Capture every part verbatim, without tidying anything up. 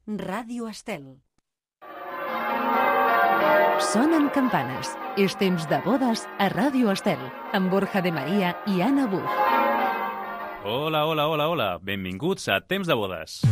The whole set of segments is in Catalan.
Ràdio Estel. Sonen campanes. És temps de bodes a Ràdio Estel, amb Borja de Maria i Anna Buch. Hola, hola, hola, hola. Benvinguts a Temps de bodes.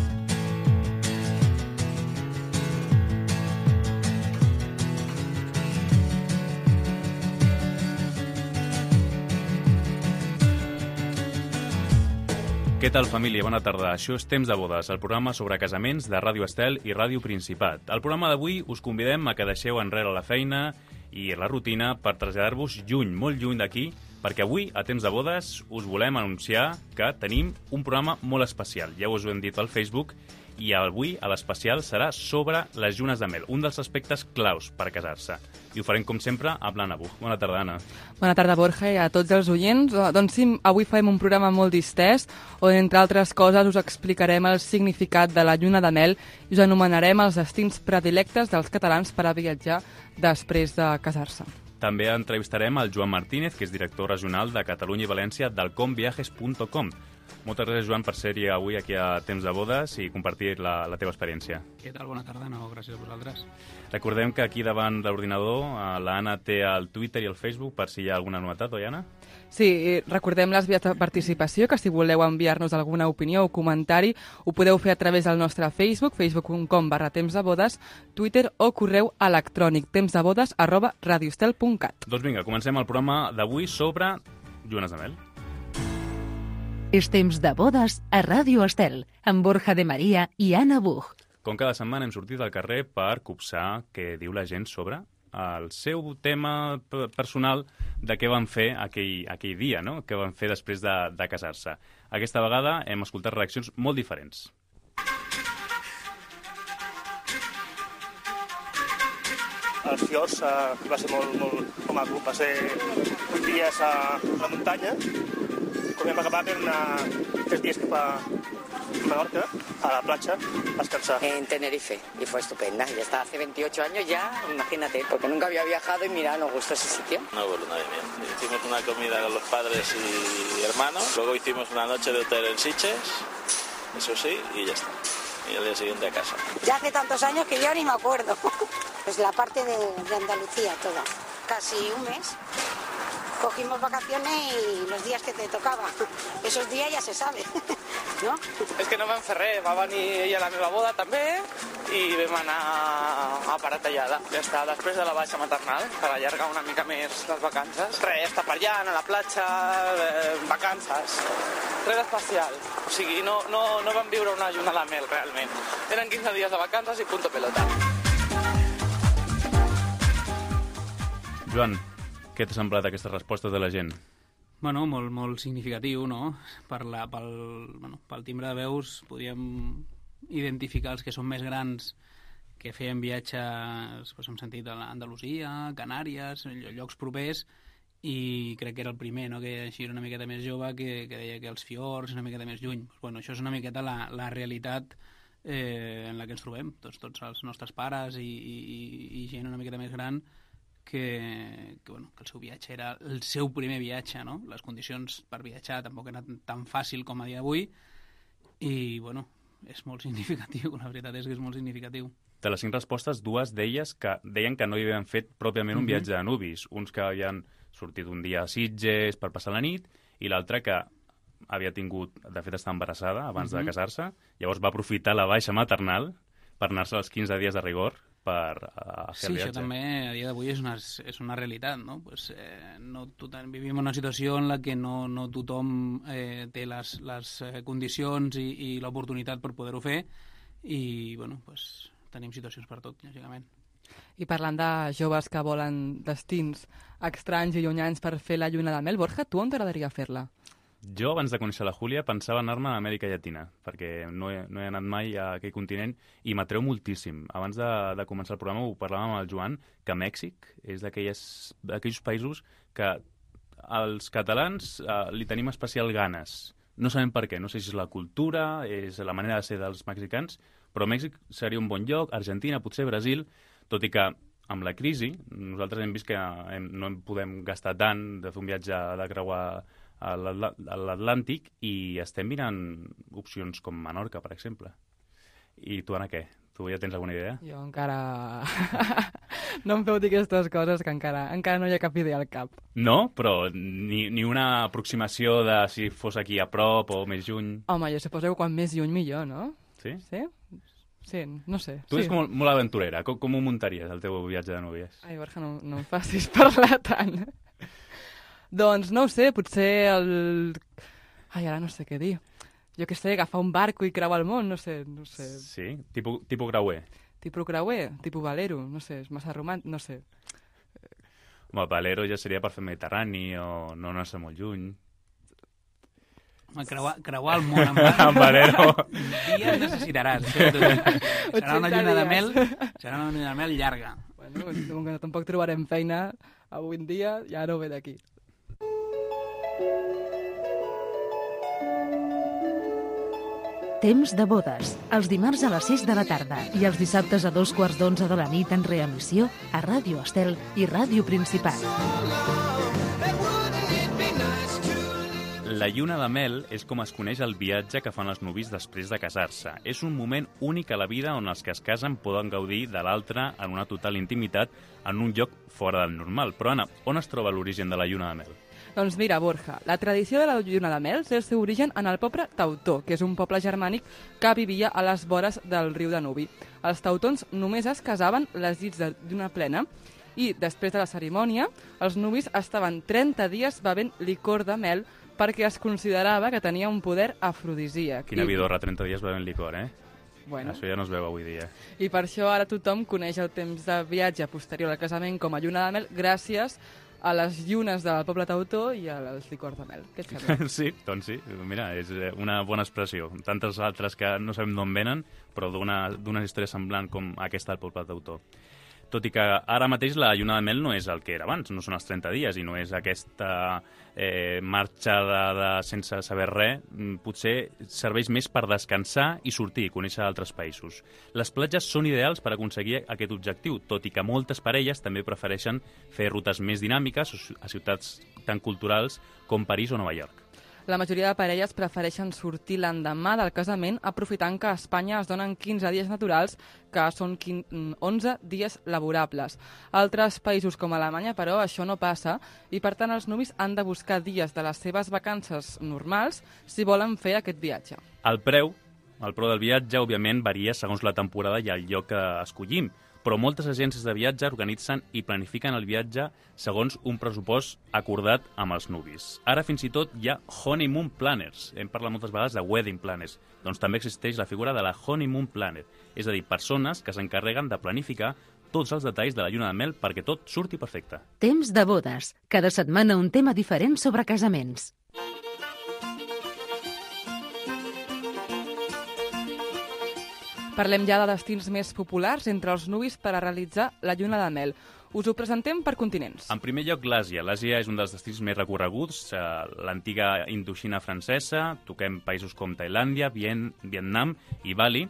Què tal, família? Bona tarda. Això és Temps de bodes, el programa sobre casaments de Ràdio Estel i Ràdio Principat. Al programa d'avui us convidem a que deixeu enrere la feina i la rutina per traslladar-vos lluny, molt lluny d'aquí, perquè avui, a Temps de bodes, us volem anunciar que tenim un programa molt especial. Ja us ho hem dit al Facebook, i avui a l'especial serà sobre les llunes de mel, un dels aspectes claus per casar-se. I ho farem, com sempre, amb l'Anna Buch. Bona tarda, Anna. Bona tarda, Borja, i a tots els oients. Doncs sí, avui farem un programa molt distès, on, entre altres coses, us explicarem el significat de la lluna de mel i us anomenarem els destins predilectes dels catalans per a viatjar després de casar-se. També entrevistarem el Joan Martínez, que és director regional de Catalunya i València del com viajes punt com. Moltes gràcies, Joan, per ser-hi avui aquí a Temps de bodes i compartir la, la teva experiència. Què tal? Bona tarda. No, gràcies a vosaltres. Recordem que aquí davant de l'ordinador l'Anna té el Twitter i el Facebook per si hi ha alguna novetat, oi, Anna? Sí, recordem les vies de participació, que si voleu enviar-nos alguna opinió o comentari ho podeu fer a través del nostre Facebook, facebook punt com barra temps de bodes, Twitter o correu electrònic tempsdebodes arroba radiostel punt cat. Doncs vinga, comencem el programa d'avui sobre llunes de mel. És temps de bodes a Ràdio Estel, amb Borja de Maria i Anna Buch. Com cada setmana hem sortit al carrer per copsar què diu la gent sobre el seu tema personal de què van fer aquell, aquell dia, no? Què van fer després de, de casar-se. Aquesta vegada hem escoltat reaccions molt diferents. Els fiords uh, va ser molt, molt com a club, va ser vuit dies a la muntanya. Com vam acabar per anar tres dies cap a Menorca, a la platja, a descansar. En Tenerife, y fue estupenda. Ya está, hace veintiocho años ya, imagínate, porque nunca había viajado y mira, nos gustó ese sitio. No hubo luna de miel. Hicimos una comida con los padres y hermanos, luego hicimos una noche de hotel en Sitges, eso sí, y ya está. Y al día siguiente a casa. Ya hace tantos años que yo ni me acuerdo. Pues la parte de, de Andalucía toda, casi un mes. Cogimos vacaciones y los días que te tocaba. Esos días ya se sabe, no? És que no me'n fer res, va venir ella a la meva boda també i vam anar a Paratallada. Ja està, després de la baixa maternal, per allargar una mica més les vacances. Res, estar per allà, a la platja, eh, vacances. Res d'especial. O sigui, no, no, no vam viure una lluna de mel, realment. Eren quinze dies de vacances i punto pelota. Joan, què t'ha semblat aquestes respostes de la gent? Bueno, molt, molt significatiu, no? Per la, pel, bueno, pel timbre de veus podríem identificar els que són més grans que feien viatges, doncs, hem sentit a Andalusia, Canàries, llocs propers, i crec que era el primer, no? Que així era una miqueta més jove, que, que deia que els fiords una miqueta més lluny. Pues, bueno, això és una miqueta la, la realitat eh, en la que ens trobem, tots, tots els nostres pares i, i, i gent una miqueta més gran, que, que, bueno, que el seu viatge era el seu primer viatge, no? Les condicions per viatjar tampoc eren tan fàcil com a dia d'avui i, bueno, és molt significatiu, la veritat és que és molt significatiu. De les cinc respostes, dues d'elles que deien que no hi havien fet pròpiament un viatge de nuvis. Uns que havien sortit un dia a Sitges per passar la nit i l'altre que havia tingut, de fet, estar embarassada abans uh-huh. de casar-se. Llavors va aprofitar la baixa maternal per anar-se als quinze dies de rigor per uh, fer sí, el viatge. Sí, això també a dia d'avui és una, és una realitat, no? Pues, eh, no tothom, vivim una situació en la que no, no tothom eh, té les, les condicions i, i l'oportunitat per poder-ho fer i, bueno, pues, tenim situacions per tot, lògicament. I parlant de joves que volen destins estranys i llunyans per fer la lluna de mel, Borja, tu on t'agradaria fer-la? Jo, abans de conèixer la Júlia, pensava anar-me a Amèrica Llatina, perquè no he, no he anat mai a aquell continent i m'atreu moltíssim. Abans de, de començar el programa ho parlàvem amb el Joan, que Mèxic és d'aquells països que els catalans eh, li tenim especial ganes. No sabem per què, no sé si és la cultura, és la manera de ser dels mexicans, però Mèxic seria un bon lloc, Argentina, potser Brasil, tot i que amb la crisi nosaltres hem vist que hem, no en podem gastar tant de fer un viatge de creuar a l'Atlàntic i estem mirant opcions com Menorca, per exemple. I tu, Anna, què? Tu ja tens alguna idea? Jo encara... no em feu dir aquestes coses, que encara, encara no hi ha cap idea al cap. No? Però ni, ni una aproximació de si fos aquí a prop o més lluny? Home, jo suposo que quan més lluny millor, no? Sí? Sí? Sí, no sé. Tu sí. ets molt, molt aventurera. Com, com ho muntaries, el teu viatge de núvies? Ai, Borja, no, no em facis parlar tant. Doncs no ho sé, potser el... Ai, ara no sé què dir. Jo què sé, agafar un barco i creuar el món, no sé, no sé. Sí? Tipo, tipo creuer? Tipo creuer, tipo valero, no sé, és massa romàntic, no sé. Home, valero ja seria per fer Mediterrani o no anar-se molt lluny. Creuar, creuar el món amb, amb valero. Dies necessitaràs. Serà una lluna de mel, serà una lluna de mel llarga. Bueno, com que tampoc trobarem feina avui en dia, ja no ve d'aquí. Temps de bodes, els dimarts a les sis de la tarda i els dissabtes a dos quarts d'onze de la nit en reemissió a Ràdio Estel i Ràdio Principat. La lluna de mel és com es coneix el viatge que fan els nuvis després de casar-se. És un moment únic a la vida on els que es casen poden gaudir de l'altre en una total intimitat en un lloc fora del normal. Però, Anna, on es troba l'origen de la lluna de mel? Doncs mira, Borja, la tradició de la lluna de mel té el seu origen en el poble teutó, que és un poble germànic que vivia a les vores del riu Danubi. Els teutons només es casaven les nits de lluna plena i, després de la cerimònia, els nuvis estaven trenta dies bevent licor de mel perquè es considerava que tenia un poder afrodisíac. Quina I... vidorra, trenta dies bevent licor, eh? Bueno. Això ja no es veu avui dia. I per això ara tothom coneix el temps de viatge posterior al casament com a lluna de mel gràcies a les llunes del poble teutó i als licors de mel. Què et sembla? Sí, doncs sí. Mira, és una bona expressió. Tantes altres que no sabem d'on venen, però d'una història semblant com aquesta del poble teutó. Tot i que ara mateix la lluna de mel no és el que era abans, no són els trenta dies i no és aquesta eh, marxa de, de, sense saber res. Potser serveix més per descansar i sortir i conèixer altres països. Les platges són ideals per aconseguir aquest objectiu, tot i que moltes parelles també prefereixen fer rutes més dinàmiques a ciutats tan culturals com París o Nova York. La majoria de parelles prefereixen sortir l'endemà del casament, aprofitant que a Espanya es donen quinze dies naturals, que són onze dies laborables. Altres països com Alemanya, però, això no passa, i per tant els nuvis han de buscar dies de les seves vacances normals si volen fer aquest viatge. El preu, el preu del viatge, òbviament, varia segons la temporada i el lloc que escollim, però moltes agències de viatge organitzen i planifiquen el viatge segons un pressupost acordat amb els nuvis. Ara fins i tot hi ha honeymoon planners. Hem parlat moltes vegades de wedding planners. Doncs també existeix la figura de la honeymoon planner, és a dir, persones que s'encarreguen de planificar tots els detalls de la lluna de mel perquè tot surti perfecte. Temps de bodes. Cada setmana un tema diferent sobre casaments. Parlem ja de destins més populars entre els nuvis per a realitzar la lluna de mel. Us ho presentem per continents. En primer lloc, l'Àsia. L'Àsia és un dels destins més recorreguts, eh, l'antiga Indoxina francesa, toquem països com Tailàndia, Vien, Vietnam i Bali,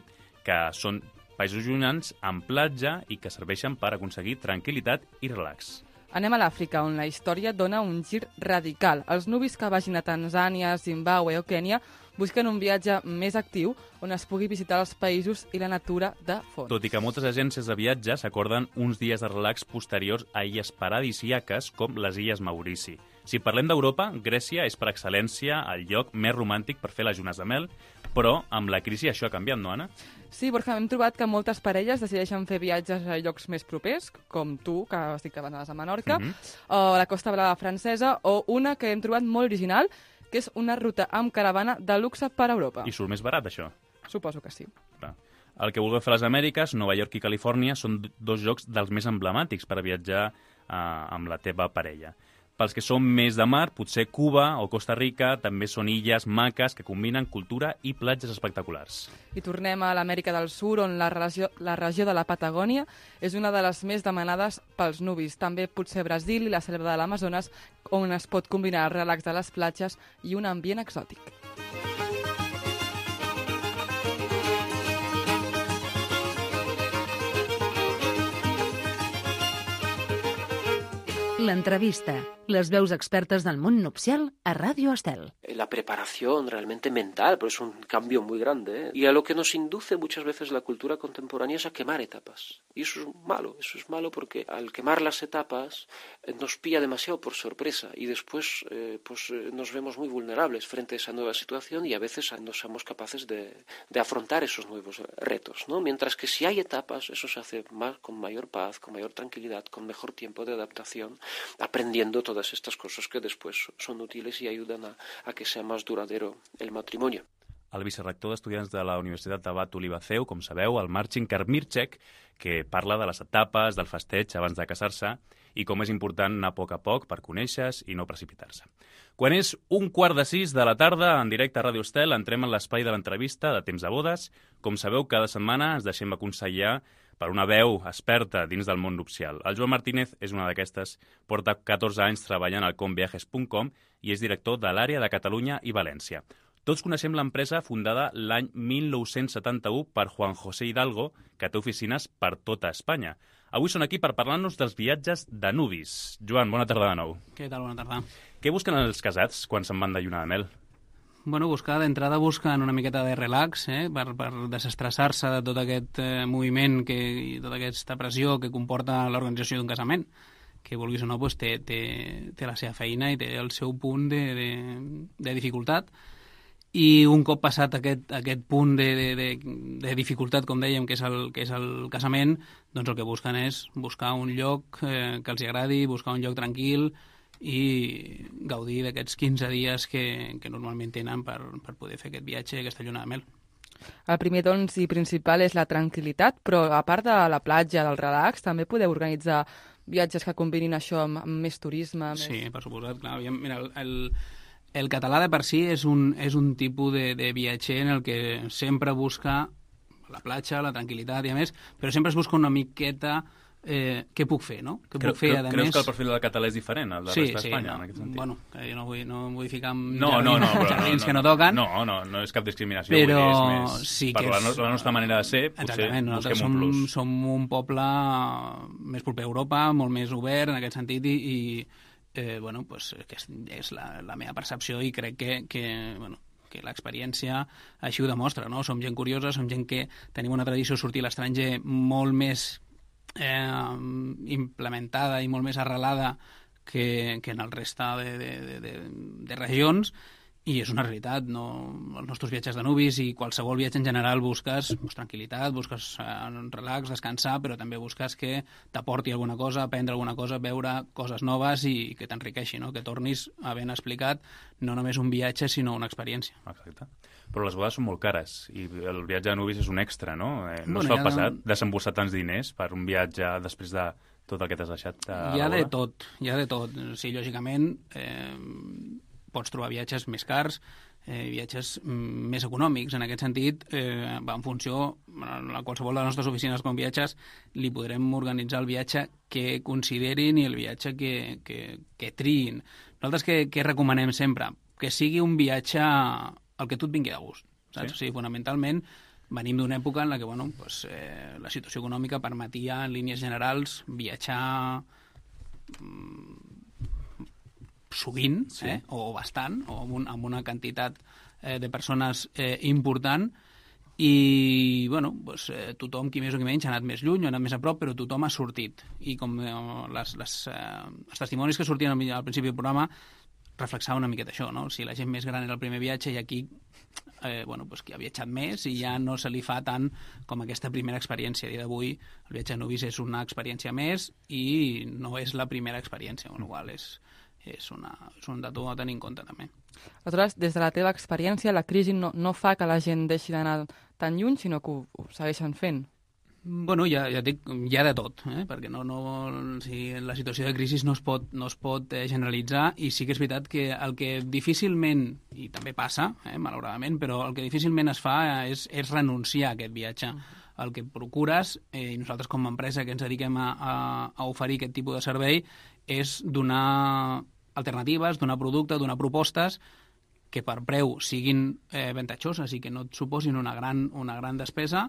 que són països llunyans amb platja i que serveixen per aconseguir tranquil·litat i relax. Anem a l'Àfrica, on la història dona un gir radical. Els nuvis que vagin a Tanzània, Zimbàbue o Kènia busquen un viatge més actiu on es pugui visitar els països i la natura de fons. Tot i que moltes agències de viatge s'acorden uns dies de relax posteriors a illes paradisíaques com les Illes Maurici. Si parlem d'Europa, Grècia és per excel·lència el lloc més romàntic per fer les llunes de mel, però amb la crisi això ha canviat, no, Anna? Sí, Borja, hem trobat que moltes parelles decideixen fer viatges a llocs més propers, com tu, que estic que vas a Menorca, uh-huh. o a la Costa Brava francesa, o una que hem trobat molt original, que és una ruta amb caravana de luxe per Europa. I surt més barat, això? Suposo que sí. Clar. El que vulgueu fer a les Amèriques, Nova York i Califòrnia, són dos llocs dels més emblemàtics per a viatjar eh, amb la teva parella. Pels que són més de mar, potser Cuba o Costa Rica també són illes maques que combinen cultura i platges espectaculars. I tornem a l'Amèrica del Sud, on la regió, la regió de la Patagònia és una de les més demanades pels nuvis. També potser Brasil i la selva de l'Amazones, on es pot combinar el relax de les platges i un ambient exòtic. L'entrevista, les veus expertes del món nupcial a Radio Estel. La preparación realmente mental, pero es un cambio muy grande, ¿eh? Y a lo que nos induce muchas veces la cultura contemporánea es a quemar etapas. Y eso es malo, eso es malo porque al quemar las etapas eh, nos pilla demasiado por sorpresa y después eh, pues eh, nos vemos muy vulnerables frente a esa nueva situación y a veces no somos capaces de, de afrontar esos nuevos retos, ¿no? Mientras que si hay etapas, eso se hace más, con mayor paz, con mayor tranquilidad, con mejor tiempo de adaptación, aprendiendo todas estas cosas que después son útiles y ayudan a, a que sea más duradero el matrimonio. El vicerrector d'Estudiants de la Universitat d'Abat Olivaceu, com sabeu, el Marcin Karmirczek, que parla de les etapes, del festeig abans de casar-se i com és important anar a poc a poc per conèixer-se i no precipitar-se. Quan és un quart de sis de la tarda, en directe a Ràdio Estel, entrem en l'espai de l'entrevista de Temps de Bodes. Com sabeu, cada setmana ens deixem aconsellar per una veu experta dins del món nupcial. El Joan Martínez és una d'aquestes, porta catorze anys treballant al com viajes punt com i és director de l'àrea de Catalunya i València. Tots coneixem l'empresa fundada l'any mil nou-cents setanta-u per Juan José Hidalgo, que té oficines per tota Espanya. Avui són aquí per parlar-nos dels viatges de nuvis. Joan, bona tarda de nou. Què tal? Bona tarda. Què busquen els casats quan se'n van de lluna de mel? Bueno, buscar, d'entrada busquen una miqueta de relax, eh, per, per desestressar-se de tot aquest eh, moviment que, i tota aquesta pressió que comporta l'organització d'un casament, que vulguis o no, pues, té, té, té la seva feina i té el seu punt de, de, de dificultat. I un cop passat aquest, aquest punt de, de, de, de dificultat, com dèiem, que és, el, que és el casament, doncs el que busquen és buscar un lloc eh, que els agradi, buscar un lloc tranquil i gaudir d'aquests quinze dies que, que normalment tenen per, per poder fer aquest viatge, aquesta lluna de mel. El primer, doncs, i principal és la tranquil·litat, però a part de la platja, del relax, també podeu organitzar viatges que combinin això amb, amb més turisme. Més... Sí, per suposat, clar. Mira, el, el, el català de per si és un, és un tipus de, de viatger en el que sempre busca la platja, la tranquil·litat i a més, però sempre es busca una miqueta eh, què puc fer, no? Què Creu, puc fer, creu, a creus més... que el perfil del català és diferent al de sí, resta d'Espanya, sí, no, en aquest sentit? Bueno, que jo no vull, no vull ficar amb no, jardins, no, no, però, jardins no, que no, no toquen. No, no, no és cap discriminació, però vull dir, és més... sí per que la, és... la nostra manera de ser, potser Exactament, busquem som, un plus. som un poble més proper a Europa, molt més obert en aquest sentit i, i eh, bueno, pues, que és, és la, la meva percepció i crec que, que bueno, que l'experiència així ho demostra, no? Som gent curiosa, som gent que tenim una tradició de sortir a l'estranger molt més eh, implementada i molt més arrelada que, que en el resta de, de, de, de, de regions, i és una realitat, no? Els nostres viatges de nuvis i qualsevol viatge en general busques pues, tranquil·litat, busques eh, relax, descansar, però també busques que t'aporti alguna cosa, aprendre alguna cosa, veure coses noves i, i que t'enriqueixi, no? Que tornis havent explicat no només un viatge, sinó una experiència. Exacte. Però les bodes són molt cares i el viatge de nuvis és un extra, no? Eh, no bueno, es fa ja passat de... desemborsar tants diners per un viatge després de tot el que t'has deixat a Hi ha la de boda? tot, hi ha de tot. Sí, lògicament, eh, pots trobar viatges més cars, eh, viatges mm, més econòmics. En aquest sentit, eh, va en funció, a qualsevol de les nostres oficines com viatges, li podrem organitzar el viatge que considerin i el viatge que, que, que triïn. Nosaltres què, què recomanem sempre? Que sigui un viatge al que tu et vingui de gust. Saps? Sí? O sigui, fonamentalment, venim d'una època en la que bueno, pues, eh, la situació econòmica permetia, en línies generals, viatjar mm, sovint, sí. eh, o bastant, o amb, un, amb una quantitat eh, de persones eh, important, i bueno, pues, eh, tothom, qui més o qui menys, ha anat més lluny, ha anat més a prop, però tothom ha sortit. I com eh, les, les, eh, els testimonis que sortien al, al principi del programa reflexava una miqueta això, no? Si la gent més gran era el primer viatge i aquí eh, bueno, pues, qui ha viatjat més i ja no se li fa tant com aquesta primera experiència. A dia d'avui el viatge de nuvis és una experiència més i no és la primera experiència, amb la qual és, és, una, és un dato a tenir en compte també. Aleshores, des de la teva experiència, la crisi no, no fa que la gent deixi d'anar tan lluny, sinó que ho, ho segueixen fent. Bueno, ja, ja dic, hi ha de tot, eh? Perquè no, no, si la situació de crisi no es pot, no es pot eh, generalitzar, i sí que és veritat que el que difícilment, i també passa, eh, malauradament, però el que difícilment es fa és, és renunciar a aquest viatge. El que procures, eh, i nosaltres com a empresa que ens dediquem a, a, a oferir aquest tipus de servei, és donar alternatives, donar producte, donar propostes que per preu siguin eh, avantatjoses i que no et suposin una gran, una gran despesa,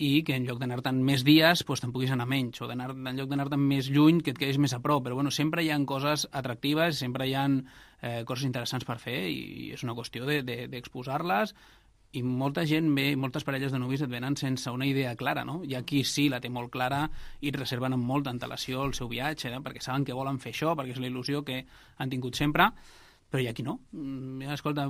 i que en lloc d'anar-te'n més dies doncs te'n puguis anar menys, o d'anar, en lloc d'anar-te'n més lluny que et quedis més a prop, però bueno, sempre hi ha coses atractives, sempre hi ha eh, coses interessants per fer i és una qüestió de, de, d'exposar-les i molta gent ve, moltes parelles de nuvis et venen sense una idea clara, no? Hi ha qui sí la té molt clara i et reserven amb molta antelació el seu viatge, eh? perquè saben que volen fer això, perquè és la il·lusió que han tingut sempre, però hi ha qui no. Mm, escolta,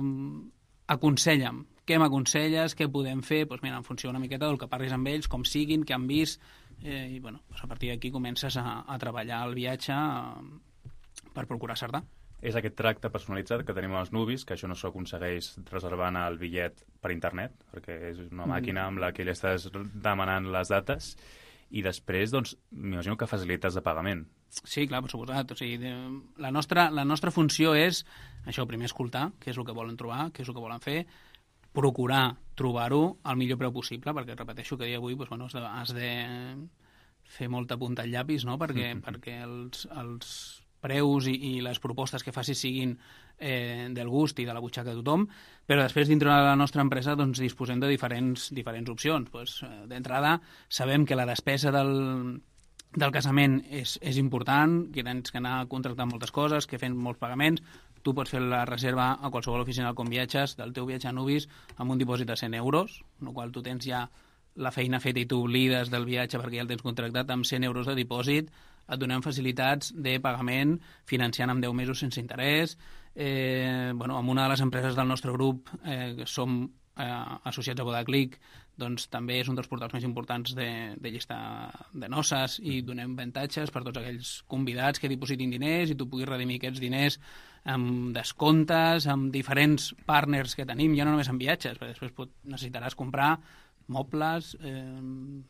aconsella'm, què m'aconselles, què podem fer? Doncs mira, en funció una miqueta del que parlis amb ells, com siguin, què han vist, eh, i bueno, doncs a partir d'aquí comences a, a treballar el viatge eh, per procurar acertar. És aquest tracte personalitzat que tenim als nuvis, que això no s'aconsegueix reservant el bitllet per internet, perquè és una màquina amb la que li estàs demanant les dates, i després, doncs, m'imagino que facilites de pagament. Sí, clar, per suposat. O sigui, de, la, nostra, la nostra funció és, això, primer escoltar què és el que volen trobar, què és el que volen fer, procurar trobar-ho al millor preu possible, perquè repeteixo que a dia d'avui doncs, bueno, has, de, has de fer molta punta al llapis, no? perquè, mm-hmm. perquè els... els preus i, i les propostes que facis siguin eh, del gust i de la butxaca de tothom, però després dintre de la nostra empresa doncs, disposem de diferents, diferents opcions. Pues, eh, d'entrada, sabem que la despesa del, del casament és, és important, que tens que anar contractant moltes coses, que fent molts pagaments. Tu pots fer la reserva a qualsevol oficina del Conviatges del teu viatge a Nuvis amb un dipòsit de cent euros, en el qual tu tens ja la feina feta i tu oblides del viatge perquè ja el tens contractat amb cent euros de dipòsit. Et donem facilitats de pagament financiant amb deu mesos sense interès. Eh, bueno, amb una de les empreses del nostre grup, eh, que som eh, associats a Vodaclick, doncs també és un dels portals més importants de, de llista de noces i donem avantatges per tots aquells convidats que dipositin diners i tu puguis redimir aquests diners amb descomptes, amb diferents partners que tenim, ja no només en viatges, perquè després pot, necessitaràs comprar mobles, eh,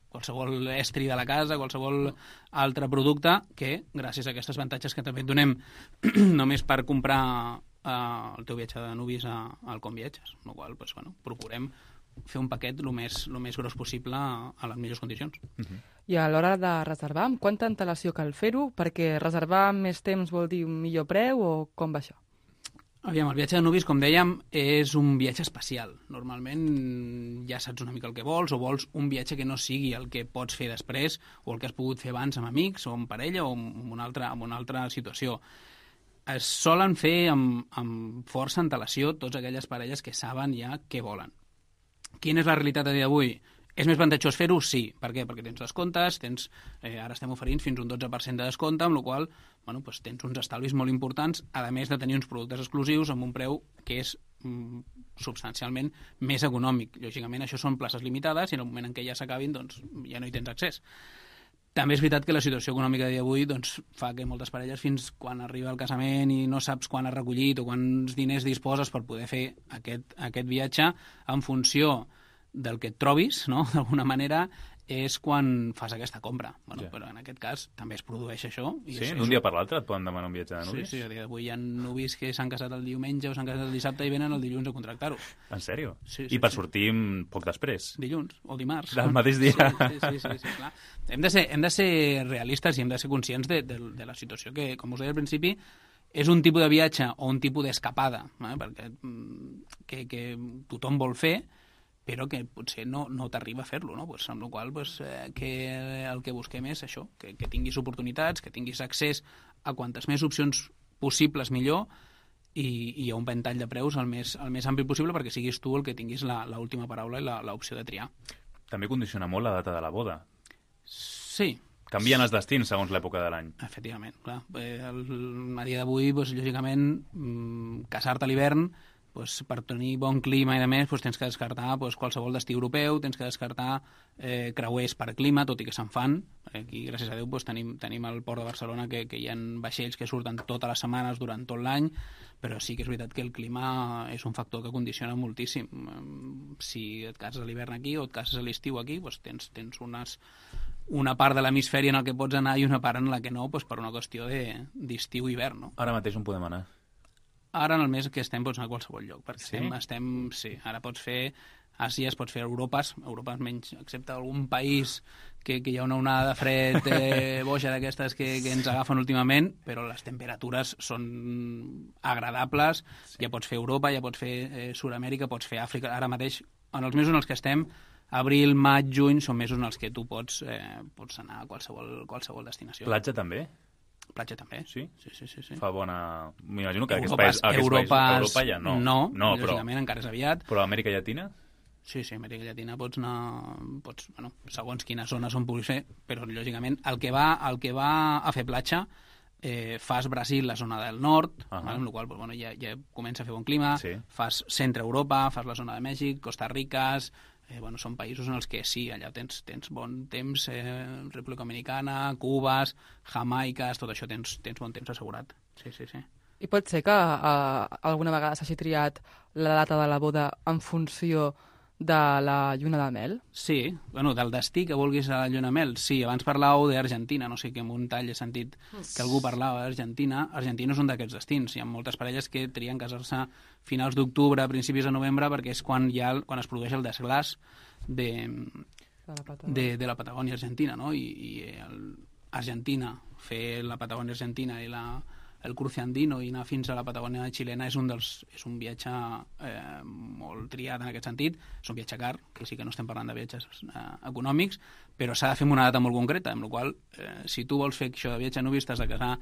qualsevol estri de la casa, qualsevol altre producte que, gràcies a aquests avantatges que també et donem només per comprar eh, el teu viatge de nuvis a, al Conviatges, amb la qual pues, bueno, procurem fer un paquet el més, el més gros possible a, a les millors condicions. Uh-huh. I a l'hora de reservar, amb quanta antelació cal fer-ho? Perquè reservar amb més temps vol dir un millor preu o com va això? Aviam, el viatge de nuvis, com dèiem, és un viatge especial. Normalment ja saps una mica el que vols, o vols un viatge que no sigui el que pots fer després, o el que has pogut fer abans amb amics, o amb parella, o en una altra, en una altra situació. Es solen fer amb, amb força antelació tots aquelles parelles que saben ja què volen. Quina és la realitat a dia d'avui? És més avantatjós fer-ho? Sí. Per què? Perquè tens descomptes, tens, eh, ara estem oferint fins un dotze per cent de descompte, amb la qual cosa bueno, pues tens uns estalvis molt importants, a més de tenir uns productes exclusius amb un preu que és mm, substancialment més econòmic. Lògicament, això són places limitades i en el moment en què ja s'acabin doncs, ja no hi tens accés. També és veritat que la situació econòmica de dia d'avui doncs, fa que moltes parelles, fins quan arriba el casament i no saps quan has recollit o quants diners disposes per poder fer aquest, aquest viatge, en funció del que et trobis, no? D'alguna manera, és quan fas aquesta compra. Bueno, ja. Però en aquest cas també es produeix això. I sí, és, d'un dia per l'altre et poden demanar un viatge de nuvis? Sí, sí, a dia d'avui hi ha nuvis que s'han casat el diumenge o s'han casat el dissabte i venen el dilluns a contractar-ho. En sèrio? Sí, sí, I per sí. sortir poc després? Dilluns o dimarts. Del mateix dia? Sí, sí, sí, sí, sí clar. Hem de, ser, hem de ser realistes i hem de ser conscients de, de, de la situació que, com us deia al principi, és un tipus de viatge o un tipus d'escapada, eh? perquè que, que tothom vol fer, però que potser no, no t'arriba a fer-lo, no? Pues, amb la qual cosa, pues, eh, que el que busquem és això, que, que tinguis oportunitats, que tinguis accés a quantes més opcions possibles millor i, i a un ventall de preus el més, el més ampli possible perquè siguis tu el que tinguis l'última paraula i l'opció de triar. També condiciona molt la data de la boda. Sí. Canvien els destins segons l'època de l'any. Efectivament, clar. Eh, el, a dia d'avui, pues, lògicament, mm, casar-te a l'hivern, pues, per tenir bon clima i de més, pues, tens que descartar pues, qualsevol destí europeu, tens que descartar eh, creuers per clima, tot i que se'n fan. Aquí, gràcies a Déu, pues, tenim, tenim el port de Barcelona que, que hi ha vaixells que surten totes les setmanes durant tot l'any, però sí que és veritat que el clima és un factor que condiciona moltíssim. Si et cases a l'hivern aquí o et cases a l'estiu aquí, pues, tens, tens unes, una part de l'hemisferi en el que pots anar i una part en la que no, pues, per una qüestió d'estiu-hivern. No? Ara mateix on podem anar? Ara, en el mes que estem, pots anar a qualsevol lloc, perquè sí? estem, estem, sí, ara pots fer Àsia, es pots fer Europes, Europes menys, excepte algun país que, que hi ha una onada de fred eh, boja d'aquestes que, que ens agafen últimament, però les temperatures són agradables, sí. Ja pots fer Europa, ja pots fer eh, Sud-amèrica, pots fer Àfrica, ara mateix, en els mesos en els que estem, abril, maig, juny són mesos en els que tu pots, eh, pots anar a qualsevol, qualsevol destinació. Platja també? Platja també. Sí? Sí, sí, sí. sí. Fa bona... M'imagino que Europa, aquests països... Europa, Europa ja no. No, no però... lògicament encara és aviat. Però Amèrica Llatina? Sí, sí, Amèrica Llatina pots anar... Pots, bueno, segons quines zones on pugui ser, però lògicament el que va, el que va a fer platja eh, fas Brasil, la zona del nord, uh -huh. vale, amb la qual cosa, bueno, ja, ja comença a fer bon clima, sí. Fas centre Europa, fas la zona de Mèxic, Costa Rica, eh, bueno, són països en els que sí, allà tens, tens bon temps, eh, República Dominicana, Cubes, Jamaiques, tot això tens, tens bon temps assegurat. Sí, sí, sí. I pot ser que eh, alguna vegada s'hagi triat la data de la boda en funció de la lluna de mel? Sí, bueno, del destí que vulguis a la lluna de mel. Sí, abans parlàveu d'Argentina, no sé que en un tall he sentit que algú parlava d'Argentina. Argentina és un d'aquests destins. Hi ha moltes parelles que trien casar-se finals d'octubre, principis de novembre, perquè és quan, hi ha, quan es produeix el desglàs de, de, de la Patagònia argentina, no? I, i el, Argentina, fer la Patagònia argentina i la el cruce andino i anar fins a la Patagònia xilena és un, dels, és un viatge eh, molt triat en aquest sentit. És un viatge car, que sí que no estem parlant de viatges eh, econòmics, però s'ha de fer amb una data molt concreta, amb la qual eh, si tu vols fer això de viatge nuvi t'has de casar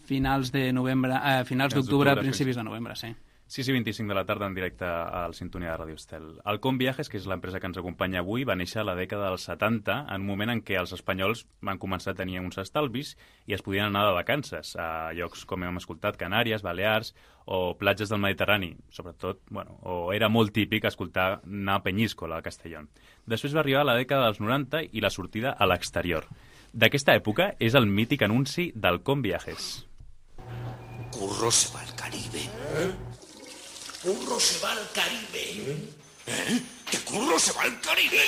finals de novembre, eh, finals d'octubre, principis de novembre, sí. sis i vint-i-cinc de la tarda en directe al Sintonia de Ràdio Estel. Alcom Viajes, que és l'empresa que ens acompanya avui, va néixer a la dècada dels setanta, en un moment en què els espanyols van començar a tenir uns estalvis i es podien anar de vacances a llocs com hem escoltat, Canàries, Balears o platges del Mediterrani, sobretot, bueno, o era molt típic escoltar anar a Peñíscola, a Castellón. Després va arribar la dècada dels noranta i la sortida a l'exterior. D'aquesta època és el mític anunci d'Alcom Viajes. Curro se va al Caribe. ¿Eh? Curro se va al Caribe. ¿Eh? ¿Que Curro se va al Caribe?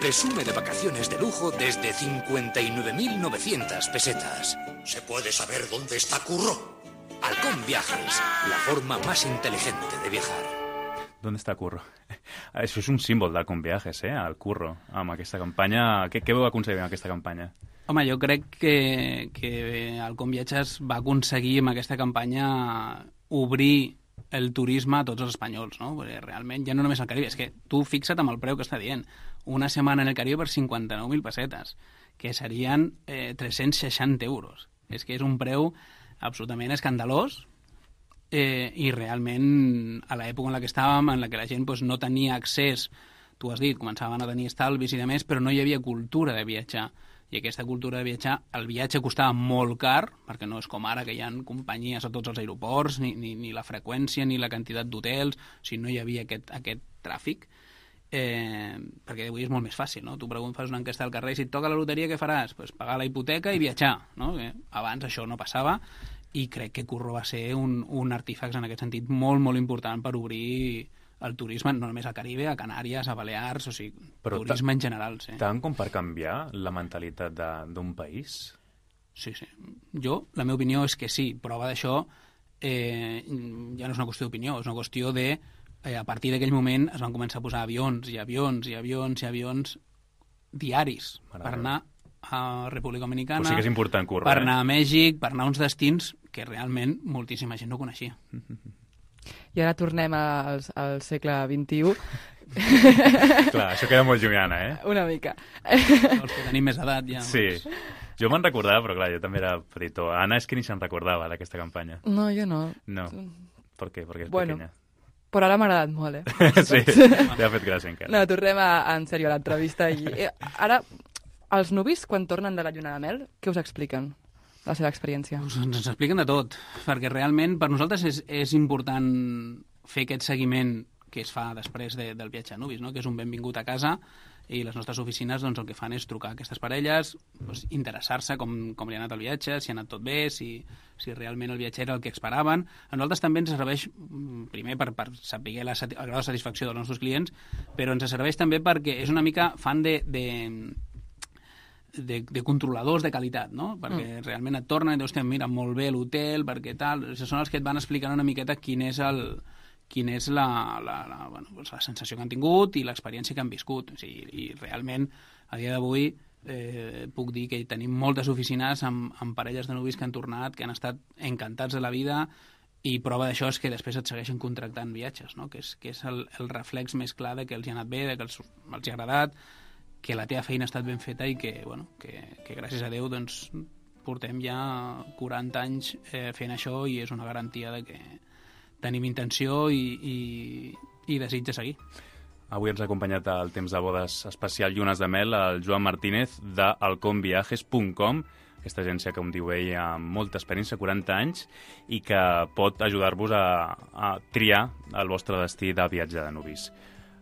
Presume de vacaciones de lujo desde cincuenta y nueve mil novecientas pesetas. ¿Se puede saber dónde está Curro? Alcom Viajes, la forma más inteligente de viajar. ¿Dónde està Curro? Això és un símbol d'Alcom Viajes, eh? El Curro, amb aquesta campanya. Què, què vau aconseguir amb aquesta campanya? Home, jo crec que, que Alcom Viatges va aconseguir amb aquesta campanya obrir el turisme a tots els espanyols, no? Perquè realment ja no només al Caribe, és que tu fixa't amb el preu que està dient. Una setmana en el Caribe per cinquanta-nou mil pessetes, que serien eh, tres-cents seixanta euros. És que és un preu absolutament escandalós eh, i realment a l'època en la que estàvem, en la que la gent pues, no tenia accés, tu has dit, començaven a tenir estalvis i demés, però no hi havia cultura de viatjar. I aquesta cultura de viatjar, el viatge costava molt car, perquè no és com ara que hi ha companyies a tots els aeroports, ni, ni, ni la freqüència, ni la quantitat d'hotels, o sigui, no hi havia aquest, aquest tràfic, eh, perquè avui és molt més fàcil, no? Tu preguntes, fas una enquesta al carrer, si et toca la loteria, què faràs? Pues pagar la hipoteca i viatjar, no? Eh, abans això no passava, i crec que Curro va ser un, un artífex en aquest sentit molt, molt important per obrir el turisme, no només al Caribe, a Canàries, a Balears, o sigui, però turisme en general, sí. Tant com per canviar la mentalitat d'un país? Sí, sí. Jo, la meva opinió és que sí. Prova d'això eh, ja no és una qüestió d'opinió, és una qüestió de... Eh, a partir d'aquell moment es van començar a posar avions i avions i avions i avions diaris Mare per anar a República Dominicana, o sigui que és important, Curro, per eh? anar a Mèxic, per anar a uns destins que realment moltíssima gent no coneixia. I ara tornem al, al segle vint-i-u. Clar, això queda molt llunyana, eh? Una mica. Els que tenim més edat ja. Sí. Jo me'n recordava, però clar, jo també era petitó. Anna és que ni se'n recordava d'aquesta campanya. No, jo no. No. Per què? Perquè és bueno, pequeña. Però ara m'ha agradat molt, eh? Sí, t'ha fet gràcia encara. No, tornem a, en sèrio a l'entrevista. I, eh, ara, els nuvis, quan tornen de la lluna de mel, què us expliquen? La seva experiència. Us, ens expliquen de tot, perquè realment per nosaltres és, és important fer aquest seguiment que es fa després de, del viatge a nuvis, no? Que és un benvingut a casa, i les nostres oficines doncs, el que fan és trucar a aquestes parelles, doncs, interessar-se com, com li ha anat el viatge, si ha anat tot bé, si, si realment el viatge era el que esperaven. A nosaltres també ens serveix, primer, per, per saber la, el grau de satisfacció dels nostres clients, però ens serveix també perquè és una mica fan de... de De, de controladors de qualitat, no? Perquè mm. realment et tornen i dius, mira, molt bé l'hotel, perquè tal... Són els que et van explicant una miqueta quin és el quin és la, la, la, bueno, doncs la sensació que han tingut i l'experiència que han viscut. O sigui, i realment, a dia d'avui, eh, puc dir que tenim moltes oficines amb, amb parelles de nuvis que han tornat, que han estat encantats de la vida I prova d'això és que després et segueixen contractant viatges, no? que és, que és el, el reflex més clar de que els hi ha anat bé, de que els, els hi ha agradat, que la teva feina ha estat ben feta i que, bueno, que, que gràcies a Déu doncs, portem ja quaranta anys eh, fent això i és una garantia de que tenim intenció i, i, i desig de seguir. Avui ens ha acompanyat al temps de bodes especial Llunes de Mel el Joan Martínez de alcom viajes punt com, aquesta agència, com diu ell, amb molta experiència, quaranta anys, i que pot ajudar-vos a, a triar el vostre destí de viatge de nuvis.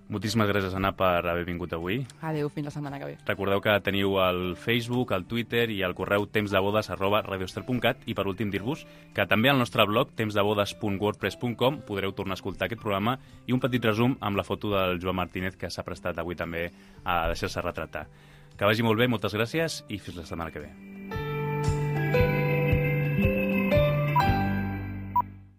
Moltíssimes gràcies, Anna, per haver vingut avui. Adéu, fins la setmana que ve. Recordeu que teniu el Facebook, el Twitter i el correu tempsdebodes arroba radioestel punt cat, i per últim dir-vos que també al nostre blog tempsdebodes punt wordpress punt com podreu tornar a escoltar aquest programa i un petit resum amb la foto del Joan Martínez, que s'ha prestat avui també a deixar-se retratar. Que vagi molt bé, moltes gràcies i fins la setmana que ve.